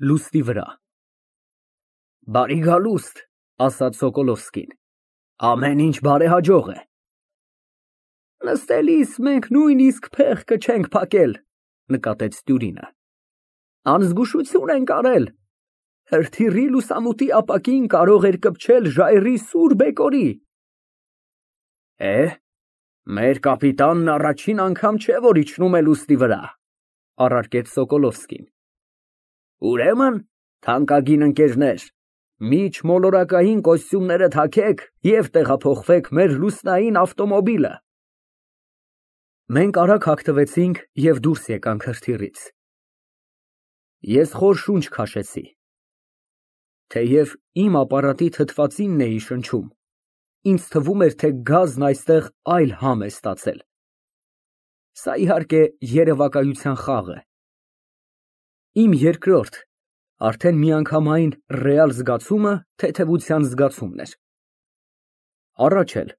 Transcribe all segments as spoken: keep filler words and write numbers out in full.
Լուստի վրա։ Բարի գալուստ, ասաց Սոկոլովսկին, ամեն ինչ բարեհաջող է։ Նստելիս մենք նույնիսկ փեղկը չենք փակել, նկատեց Տյուրինը։ Անզգուշություն ենք արել, հրթիռի լուսամուտի ապակին կարող էր կպչել ժայռի սուր բեկորի։ Է, մեր կապիտանն առաջին անգամ չէ, որ իջնում է լուստի վրա, առարկեց Սոկոլովսկին։ Ուրեմն, թանկագին ընկերներ, միջմոլորակային կոստյումները թաքեք և տեղափոխվեք մեր լուսնային ավտոմոբիլը։ Մենք արագ հագնվեցինք և դուրս եկանք հրթիռից։ Ես խոր շունչ քաշեցի։ Թեև իմ ապարատի թթվածինն էի շնչում, ինձ թվում էր, թե գազն այստեղ այլ համ է ստացել։ Սա, իհարկե, երևակայության խաղ է։ Իմ երկրորդ, արդեն միանգամայն ռեալ զգացումը թեթևության զգացումն էր։ Առաջ էլ,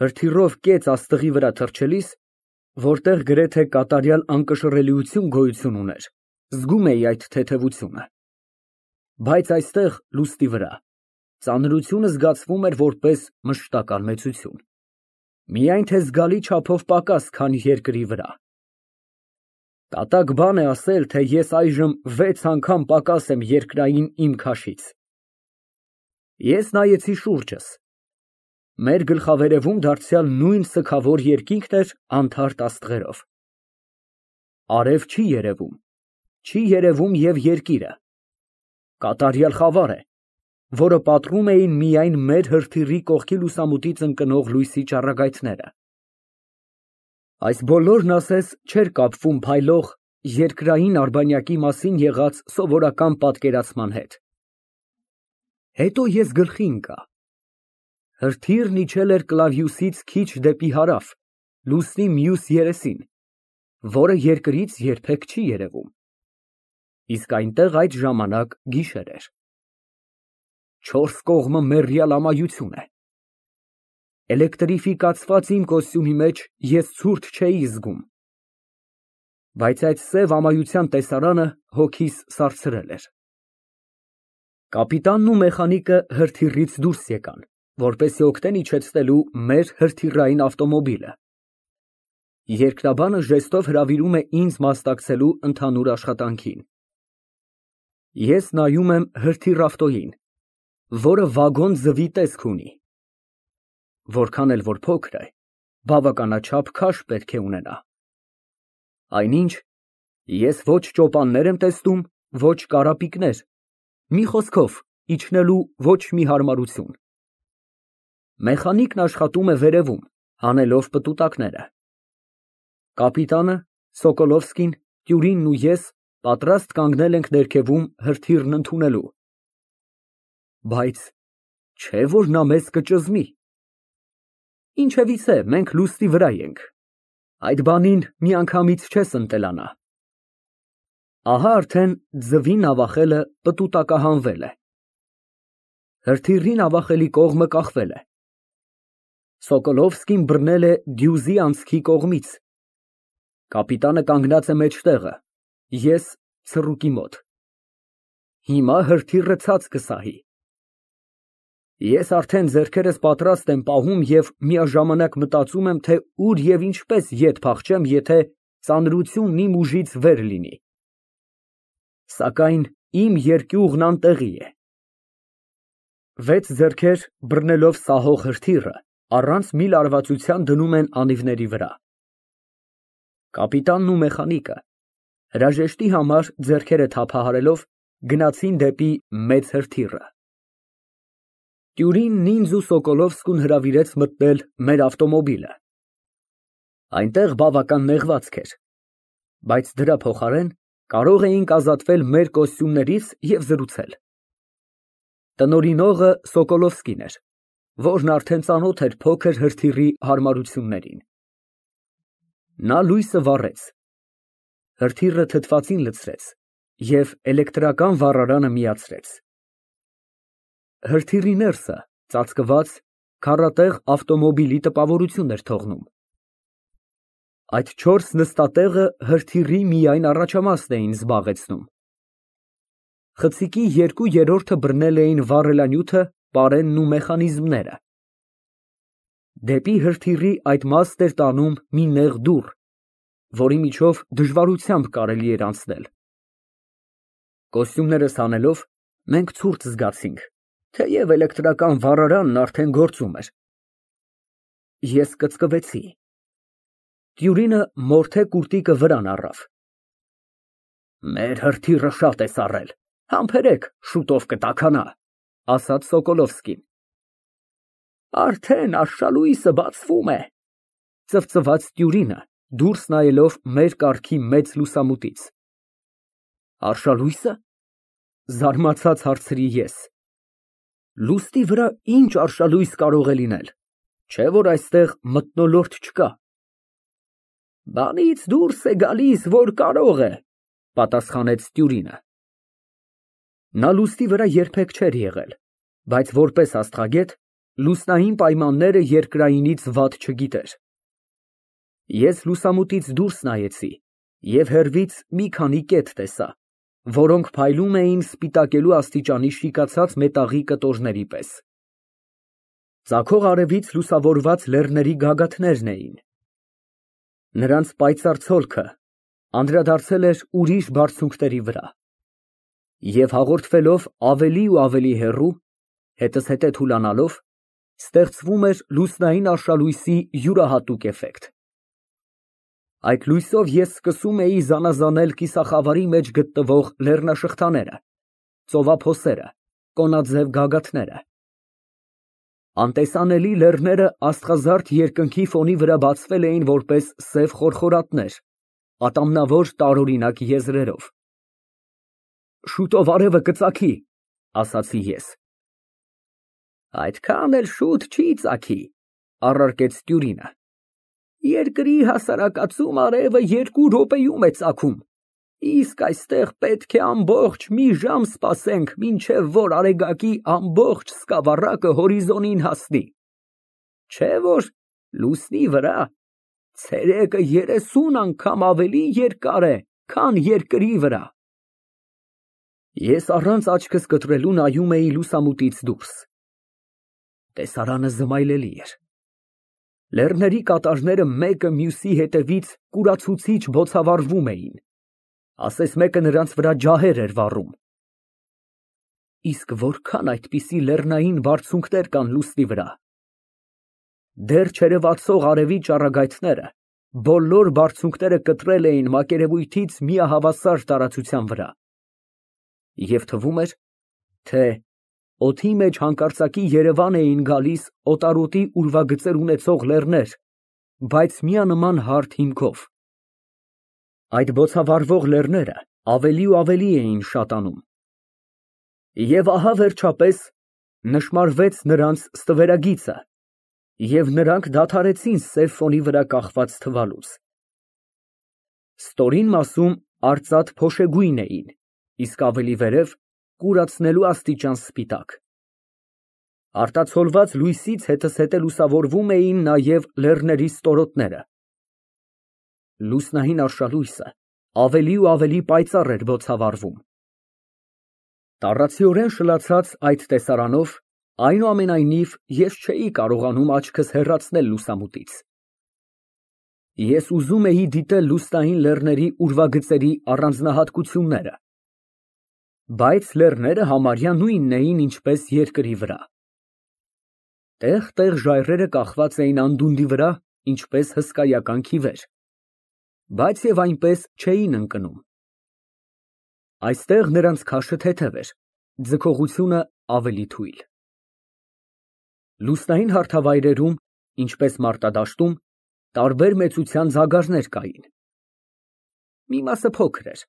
հրթիռով կեց աստղի վրա թռչելիս, որտեղ գրեթե կատարյալ անկշռելիություն գոյություն ուներ, զգում էի այդ թեթևությունը։ Բայց այստեղ, լուստի վրա, ծանրությունը զգացվում էր որպես մշտական մեծություն, միայն թե զգալի չափով պակաս, քան երկրի վրա։ Դատարկ բան է ասել, թե ես այժմ վեց անգամ պակաս եմ երկրային իմ քաշից։ Ես նայեցի շուրջս։ Մեր գլխավերևում դարձյալ նույն սգավոր երկինքն էր անթարթ աստղերով։ Արև չի երևում, չի երևում և երկիրը։ Կատարյալ խավար է, որը պատռում էին միայն մեր հրթիռի կողքի լուսամուտից ընկնող լույսի ճառագայթները։ Այս բոլորն ասես չէր կապվում փայլող երկրային արբանյակի մասին եղած սովորական պատկերացման հետ։ Հետո ես գլխի ընկա։ Հրթիռն իջել էր Կլավիուսից քիչ դեպի հարավ, լուսնի մյուս երեսին, որը երկրից երբեք չի երևում։ Իսկ այնտեղ այդ ժամանակ գիշեր էր։ Չորս կողմը մեռյալ ամայություն է։ Էլեկտրիֆիկացված իմ կոստյումի մեջ ես ցուրտ չէի զգում, բայց այդ սև ամայության տեսարանը հոգիս սարսրել էր։ Կապիտանն ու մեխանիկը հրթիռից դուրս եկան, որպեսզի օգնեն իջեցնելու մեր հրթիռային ավտոմոբիլը։ Երկրաբանը ժեստով հրավիրում է ինձ մասնակցելու ընդհանուր աշխատանքին։ Ես նայում եմ հրթիռ֊ավտոյին, որը վագոն ձվի տեսք ունի։ Որքան էլ որ փոքր է, բավականաչափ քաշ պետք է ունենա։ Այնինչ, ես ոչ ճոպաններ եմ տեսնում, ոչ կարապիկներ, մի խոսքով, իջնելու ոչ մի հարմարություն։ Մեխանիկն աշխատում է վերևում, հանելով պտուտակները։ Կապիտանը, Սոկոլովսկին, Տյուրինն ու ես պատրաստ կանգնել ենք ներքևում հրթիռն ընդունելու։ Բայց չէ՞ որ նա մեզ կճզմի։ Ինչևիցե, մենք լուստի վրա ենք, այդ բանին միանգամից չես ընտելանա։ Ահա արդեն ձվի նավախելը պտուտակահանվել է։ Հրթիռի նավախելի կողմը կախվել է։ Սոկոլովսկին բռնել է դյուզի անցքի կողմից։ Կապիտանը կանգնած է մեջտեղը, ես ցռուկի մոտ։ Հիմա հրթիռը ցած կսահի։ Ես արդեն ձեռքերս պատրաստ եմ պահում և միաժամանակ մտածում եմ, թե ուր և ինչպես ետ փախչեմ, եթե ծանրությունն իմ ուժից վեր լինի։ Սակայն իմ երկյուղն անտեղի է։ Վեց ձեռքեր բռնելով սահող հրթիռը առանց մի լարվածության դնում են անիվների վրա։ Կապիտանն ու մեխանիկը, հրաժեշտի համար ձեռքերը թափահարելով, գնացին դեպի մեծ հրթիռը։ Տյուրինն ինձ ու Սոկոլովսկուն հրավիրեց մտնել մեր ավտոմոբիլը։ Այնտեղ բավական նեղվածք էր, բայց դրա փոխարեն կարող էինք ազատվել մեր կոստյումներից և զրուցել։ Տնօրինողը Սոկոլովսկին էր, որն արդեն ծանոթ էր փոքր հրթիռի հարմարություններին։ Նա լույսը վառեց, հրթիռը թթվածին լցրեց և էլեկտրական վառարանը միացրեց։ Հրթիռի ներսը, ծածկված, քառատեղ ավտոմոբիլի տպավորություն էր թողնում։ Այդ չորս նստատեղը հրթիռի միայն առաջամասն էին զբաղեցնում։ Խցիկի երկու երրորդը բռնել էին վառելանյութը, պարենն ու մեխանիզմները։ Դեպի հրթիռի այդ մասն էր տանում մի նեղ դուռ, որի միջով դժվարությամբ կարելի էր անցնել։ Կոստյումներս հանելով, մենք ցուրտ զգացինք, թեև էլեկտրական վառարանն արդեն գործում էր։ Ես կծկվեցի։ Տյուրինը մորթե կուրտիկը վրան առավ։ Մեր հրթիռը շատ է սառել, համբերեք, շուտով կտաքանա, ասաց Սոկոլովսկին։ Արդեն արշալույսը բացվում է, ծվծվաց Տյուրինը, դուրս նայելով մեր կառքի մեծ լուսամուտից։ Արշալույսը, զարմացած հարցրի ես։ Լուստի վրա ինչ արշալույս կարող է լինել, չէ՞ որ այստեղ մթնոլորտ չկա։ Բանից դուրս է գալիս, որ կարող է, պատասխանեց Տյուրինը։ Նա լուստի վրա երբեք չէր եղել, բայց որպես աստղագետ լուսնային պայմանները երկրայինից վատ չգիտեր։ Ես լուսամուտից դուրս նայեցի և հեռվից մի քանի կետ տեսա, որոնք փայլում էին սպիտակելու աստիճանի շիկացած մետաղի կտորների պես։ Ծագող արևից լուսավորված լեռների գագաթներն էին։ Նրանց պայծառ ցոլքը անդրադարձել էր ուրիշ բարձունքների վրա և հաղորդվելով ավելի ու ավելի հեռու, հետզհետե թուլանալով, ստեղծվում էր լուսնային արշալույսի յուրահատուկ էֆեկտ։ Այդ լույսով ես սկսում էի զանազանել կիսախավարի մեջ գտնվող լեռնաշղթաները, ծովափոսերը, կոնաձև գագաթները։ Անտեսանելի լեռները աստղազարդ երկնքի ֆոնի վրա բացվել էին որպես սև խորխորատներ, ատամնավոր տարօրինակ եզրերով։ Շուտով արևը կծագի, ասացի ես։ Այդքան էլ շուտ չի ծագի, առարկեց Տյուրինը։ Երկրի հասարակածում արևը երկու րոպեում է ծագում, իսկ այստեղ պետք է ամբողջ մի ժամ սպասենք, մինչև որ արեգակի ամբողջ սկավառակը հորիզոնին հասնի, չէ՞ որ լուսնի վրա ցերեկը երեսուն անգամ ավելի երկար է, քան երկրի վրա։ Ես առանց աչքս կտրելու նայում էի լուսամուտից դուրս։ Տեսարանը զմայլելի էր։ Լեռների կատարները մեկը մյուսի հետևից կուրացուցիչ բոցավառվում էին, ասես մեկը նրանց վրա ջահեր էր վառում։ Իսկ որքան այդպիսի լեռնային բարձունքներ կան լուսնի վրա։ Դեռ չերևացող արևի ճառագայթները բոլոր բարձունքները կտրել էին մակերևույթից միահավասար տարածության վրա։ Եվ թվում էր, թե օդի մեջ հանկարծակի Երևան էին գալիս օտարոտի ուրվագծեր ունեցող լեռներ, բայց միանման հարթ հիմքով։ Այդ բոցավառվող լեռները ավելի ու ավելի էին շատանում։ Եվ ահա վերջապես նշմարվեց նրանց ստվերագիծը, և նրանք դադարեցին սև ֆոնի վրա կախված թվալուց։ Ստորին մասում արծաթ փոշեգույն էին, իսկ ավելի վերև կուրացնելու աստիճան սպիտակ։ Արտացոլված լույսից հետզհետե լուսավորվում էին նաև լեռների ստորոտները։ Լուսնային արշալույսը ավելի ու ավելի պայծառ էր բոցավառվում։ Տառացիորեն շլացած այդ տեսարանով, այնուամենայնիվ, ես չէի կարողանում աչքս հեռացնել լուսամուտից։ Ես ուզում էի դիտել լուսնային լեռների ուրվագծերի առանձնահատկությունները, բայց լեռները համարյա նույնն էին, ինչպես երկրի վրա։ Տեղ֊տեղ ժայռերը կախված էին անդունդի վրա, ինչպես հսկայական քիվեր, բայց և այնպես չէին ընկնում։ Այստեղ նրանց քաշը թեթև էր, ձգողությունը ավելի թույլ։ Լուսնային հարթավայրերում, ինչպես մարտադաշտում, տարբեր մեծության ձագարներ կային։ Մի մասը փոքր էր,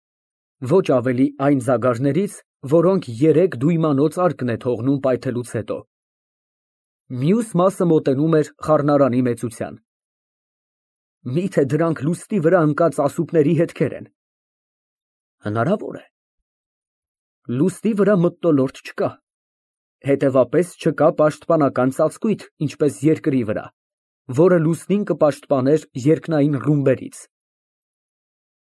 ոչ ավելի այն ձագարներից, որոնք երեք դույմանոցարկն է թողնում պայթելուց հետո։ Մյուս մասը մոտենում էր խառնարանի մեծության։ Միթե դրանք լուսնի վրա ընկած ասուպների հետքեր են։ Հնարավոր է։ Լուսնի վրա մթնոլորտ չկա, հետևապես չկա պաշտպանական ծածկույթ, ինչպես երկրի վրա, որը լուսնին կպաշտպաներ երկնային ռումբերից։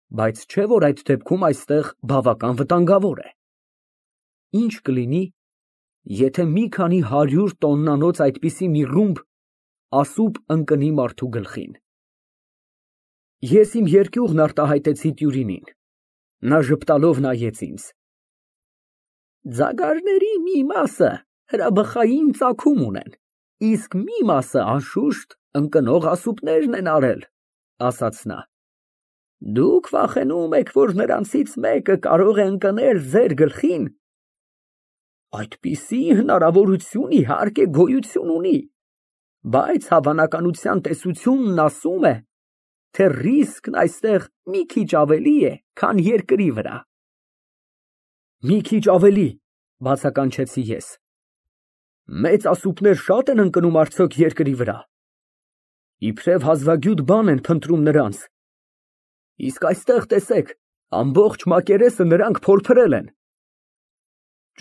Բայց չէ՞ որ այդ դեպքում այստեղ բավական վտանգավոր է։ ինչ կլինի, եթե մի քանի հարյուր տոննանոց այդպիսի մի ռումբ ասուբ ընկնի մարդու գլխին։ Ես իմ երկյուղն արտահայտեցի Տյուրինին, նա ժպտալով նայեց ինձ։ Ձագարների մի մասը հրաբխային ծագում ունեն, իսկ մի մասը անշուշտ ընկնող ասուբներն են արել, ասաց նա։ Դուք վախենում եք, որ նրանցից մեկը կարող է ընկնել ձեր գլխին։ Այդպիսի հնարավորություն իհարկե գոյություն ունի, բայց հավանականության տեսությունն ասում է, թե ռիսկն այստեղ մի քիչ ավելի է, քան երկրի վրա։ Մի քիչ ավելի, բացականչեցի ես։ Մեծ ասուբներ շատ են ընկնում արդյոք երկրի վրա։ Իբրև հազվագյուտ բան են փնտրում նրանց։ Իսկ այստեղ տեսեք, ամբողջ մակերեսը նրանք փորփրել են։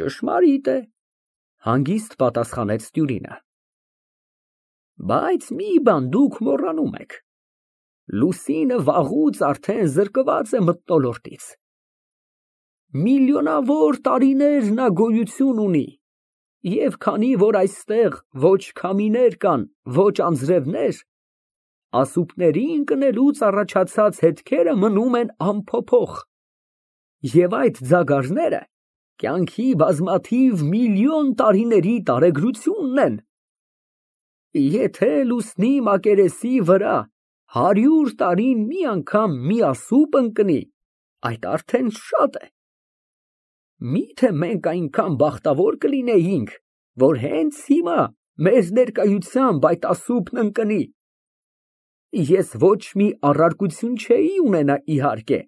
Ճշմարիտ է, հանգիստ պատասխանեց Տյուրինը։ Բայց մի բան դուք մոռանում եք։ Լուսինը վաղուց արդեն զրկված է մթնոլորտից։ Միլիոնավոր տարիներ նա գոյություն ունի, և քանի որ այստեղ ոչ քամիներ կան, ոչ անձրևներ, ասուբների ընկնելուց առաջացած հետքերը մնում են անփոփոխ, և այդ ձագարները կյանքի բազմաթիվ միլիոն տարիների տարեգրությունն են։ Եթե լուսնի մակերեսի վրա հարյուր տարին մի անգամ մի ասուբ ընկնի, այդ արդեն շատ է։ Միթե մենք այնքան բախտավոր կլինեինք, որ հենց հիմա մեր ներկայությամբ այդ ասուբն ընկնի։ Ես ոչ մի առարկություն չէի ունենա իհարկե,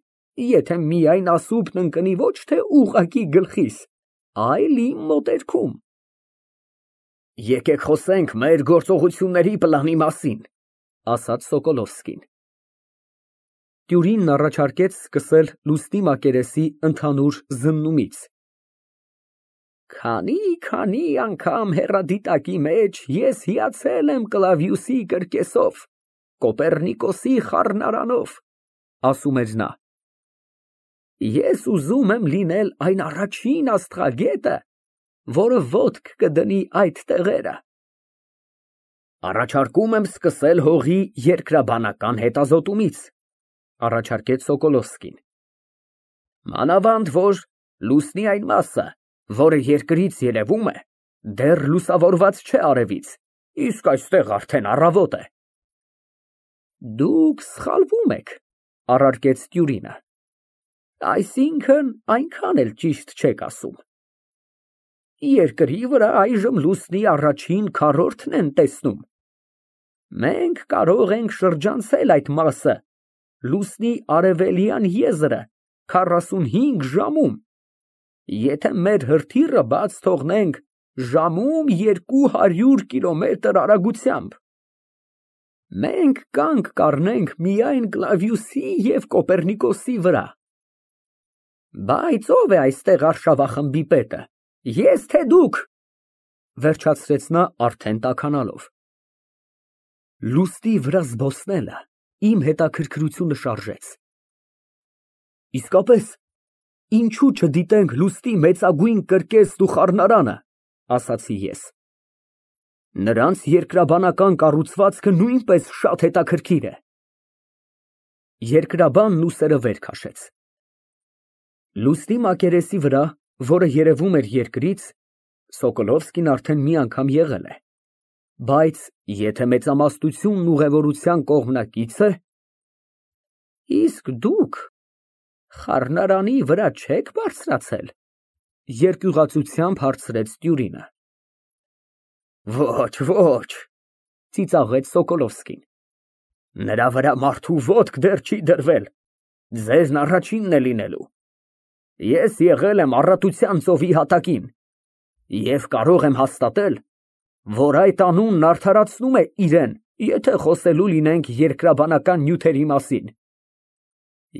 եթե միայն ասուբն ընկնի ոչ թե ուղղակի գլխիս, այլ իմ մոտերքում։ Եկեք խոսենք մեր գործողությունների պլանի մասին, ասաց Սոկոլովսկին։ Տյուրինն առաջարկեց սկսել լուսնի մակերեսի ընդհանուր զննումից։ Քանի-քանի անգամ հեռադիտակի մեջ ես հիացել եմ Կլավիուսի կրկեսով, Կոպեռնիկոսի խառնարանով, ասում էր նա։ Ես ուզում եմ լինել այն առաջին աստղագետը, որը ոտք կդնի այդ տեղերը։ Առաջարկում եմ սկսել հողի երկրաբանական հետազոտումից, առաջարկեց Սոկոլովսկին։ Մանավանդ որ լուսնի այն մասը, որը երկրից երևում է, դեռ լուսավորված չէ արևից, իսկ այստեղ արդեն առավոտ է։ Դուք սխալվում եք, առարկեց Տյուրինը։ Այսինքն այնքան էլ ճիշտ չեք ասում։ Երկրի վրա այժմ լուսնի առաջին քառորդն են տեսնում։ Մենք կարող ենք շրջանցել այդ մասը, լուսնի արևելյան եզրը քառասունհինգ ժամում, եթե մեր հրթիռը բաց թողնենք ժամում երկու հարյուր կիլոմետր արագությամբ։ Մենք կանգ կառնենք միայն Կլավիուսի և Կոպեռնիկոսի վրա։ Բայց ով է այստեղ արշավախմբի պետը, ես թե դուք, վերջացրեց նա արդեն տաքանալով։ Լուսնի վրա զբոսնելը իմ հետաքրքրությունը շարժեց։ Իսկապես, ինչու չդիտենք լուսնի մեծագույն կրկեսն ու խառնարանը, ասացի ես։ Նրանց երկրաբանական կառուցվածքը նույնպես շատ հետաքրքիր է։ Երկրաբանն ուսերը վեր քաշեց։ Լուսնի մակերեսի վրա, որը երևում էր երկրից, Սոկոլովսկին արդեն մի անգամ եղել է, բայց եթե մեծամասնությունն ուղևորության կողմնակից է, իսկ դուք խառնարանի վրա չեք բարձրացել, երկյուղացությամբ հարցրեց Տյուրինը։ Ոչ, ոչ, ծիծաղեց Սոկոլովսկին։ Նրա վրա մարդու ոտք դեռ չի դրվել, ձեզն առաջինն է լինելու։ Ես եղել եմ Առատության ծովի հատակին և կարող եմ հաստատել, որ այդ անունն արդարացնում է իրեն, եթե խոսելու լինենք երկրաբանական նյութերի մասին։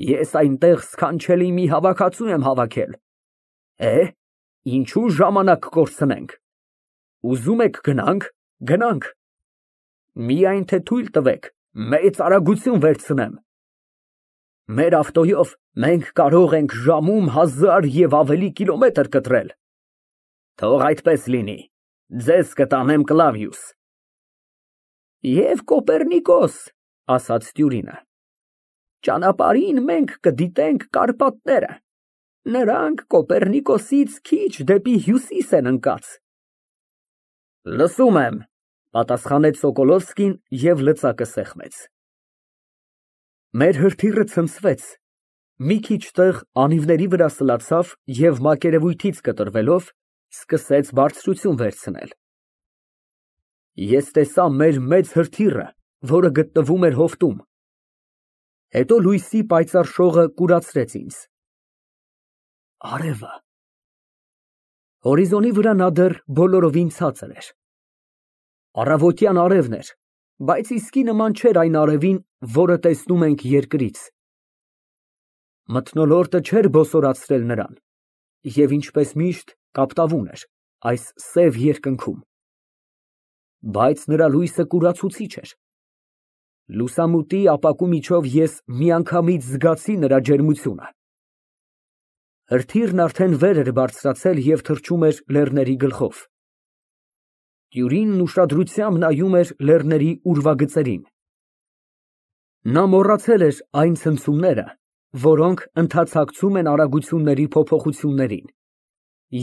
Ես այնտեղ սքանչելի մի հավաքածու եմ հավաքել։ Է, ինչու ժամանակ կորցնենք։ Ուզում եք գնանք, գնանք։ Միայն թե թույլ տվեք, մեծ արագություն վերցնեմ։ Մեր ավտոյով մենք կարող ենք ժամում հազար և ավելի կիլոմետր կտրել։ Թող այդպես լինի, ձեզ կտանեմ Կլավիուս։ Եվ Կոպեռնիկոս, ասաց Տյուրինը, ճանապարհին մենք կդիտենք Կարպատները, նրանք Կոպեռնիկոսից քիչ դեպի հյուսիս են ընկած։ Լսում եմ, պատասխանեց Սոկոլովսկին և լծակը սեղմեց։ Մեր հրթիռը ցնցվեց, մի քիչ տեղ անիվների վրա սլացավ և մակերևույթից կտրվելով սկսեց բարձրություն վերցնել։ Ես տեսա մեր մեծ հրթիռը, որը գտնվում էր հովտում։ Հետո լույսի պայծառ շողը կուրացրեց ինձ։ Արևը։ Հորիզոնի վրա նա դեռ բոլորովին ցածր էր։ Առավոտյան արևն էր, բայց իսկի նման չէր այն արևին, որը տեսնում ենք երկրից։ Մթնոլորտը չէր բոսորացրել նրան, և ինչպես միշտ կապտավուն էր այս սև երկնքում։ Բայց նրա լույսը կուրացուցիչ էր։ Լուսամուտի ապակու միջով ես միանգամից զգացի նրա ջերմությունը։ Հրթիռն արդեն վեր էր բարձրացել և թռչում էր լեռների գլխով։ Տյուրինն ուշադրությամբ նայում էր լեռների ուրվագծերին։ Նա մոռացել էր այն ցնցումները, որոնք ընդհանցակցում են արագությունների փոփոխություններին,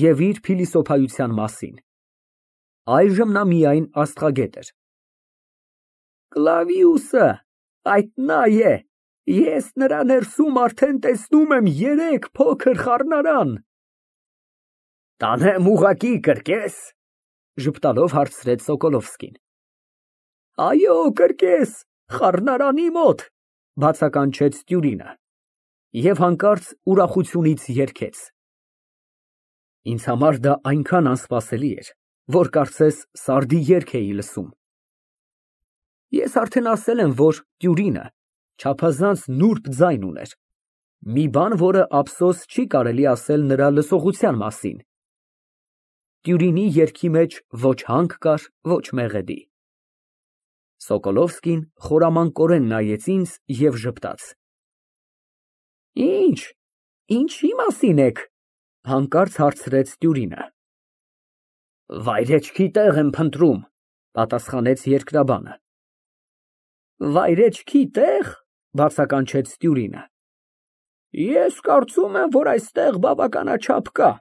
և իր փիլիսոփայության մասին։ Այժմ նա միայն աստղագետ էր։ Կլավիուսը, այդ նա է, ես նրա ներսում արդեն տեսնում եմ երեք փոքր խառնարան։ Տանեմ ուղղակի կրկես, ժպտալով հարցրեց Սոկոլովսկին։ Այո, կրկես, խառնարանի մոտ, բացականչեց Տյուրինը և հանկարծ ուրախությունից երգեց։ Ինձ համար դա այնքան անսպասելի էր, որ կարծես սարդի երգ էի լսում։ Ես արդեն ասել եմ, որ Տյուրինը չափազանց նուրբ ձայն ուներ, մի բան, որը ափսոս չի կարելի ասել նրա լսողության մասին։ Տյուրինի երգի մեջ ոչ հանք կար, ոչ մեղեդի։ Սոկոլովսկին խորամանկորեն նայեց ինձ և ժպտաց։ Ինչ, ինչի մասին եք, հանկարծ հարցրեց Տյուրինը։ Վայրեջքի տեղ եմ փնտրում, պատասխանեց երկրաբանը։ Վայրեջքի տեղ, բացականչեց Տյուրինը։ Ես կարծում եմ, որ այստեղ բավականաչափ կա։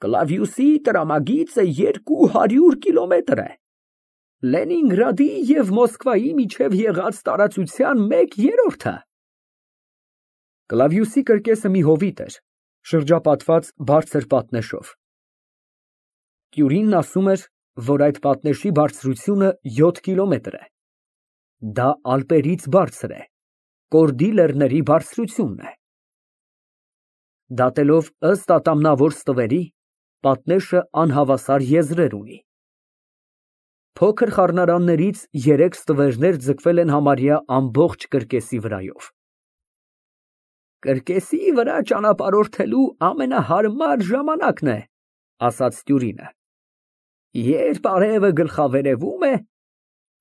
Կլավիուսի տրամագիծը երկու հարյուր կիլոմետր է։ Լենինգրադի և Մոսկվայի միջև եղած տարածության մեկ երրորդը։ Կլավիուսի կրկեսը մի հովիտ էր, շրջապատված բարձր պատնեշով։ Տյուրինն ասում էր, որ այդ պատնեշի բարձրությունը յոթ կիլոմետր է։ Դա Ալպերից բարձր է, Կորդի լեռների բարձրությունն է։ Դատելով ըստ ատամնավոր ստվերի, պատնեշը անհավասար եզրեր ունի։ Փոքր խառնարաններից երեք ստվերներ ձգվել են համարյա ամբողջ կրկեսի վրայով։ Կրկեսի վրա ճանապարհորդելու ամենահարմար ժամանակն է, ասաց Տյուրինը։ Երբ արևը գլխավերևում է,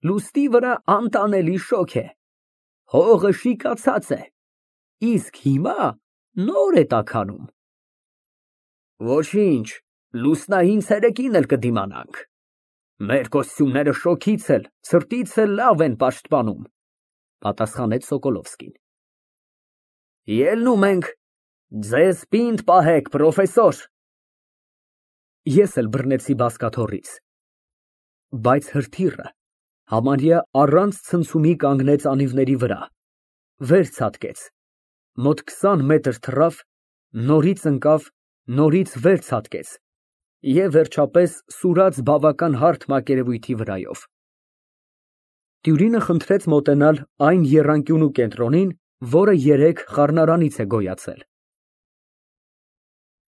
լուսնի վրա անտանելի շոգ է, հողը շիկացած է, իսկ հիմա նոր է տաքանում։ Ոչինչ, լուսնային ցերեկին էլ կդիմանանք։ Մեր կոստյումները շոգից էլ, ցրտից էլ լավ են պաշտպանում, պատասխանեց Սոկոլովսկին։ Ելնում ենք, ձեզ պինդ պահեք, պրոֆեսոր։ Ես էլ բռնեցի բազկաթոռից, բայց հրթիռը համարյա առանց ցնցումի կանգնեց անիվների վրա, վեր ցատկեց, մոտ քսան մետր թռավ, նորից ընկավ, նորից վեր ցատկեց և վերջապես սուրաց բավական հարթ մակերևույթի վրայով։ Տյուրինը խնդրեց մոտենալ այն եռանկյունու կենտրոնին, որը երեք խառնարանից է գոյացել։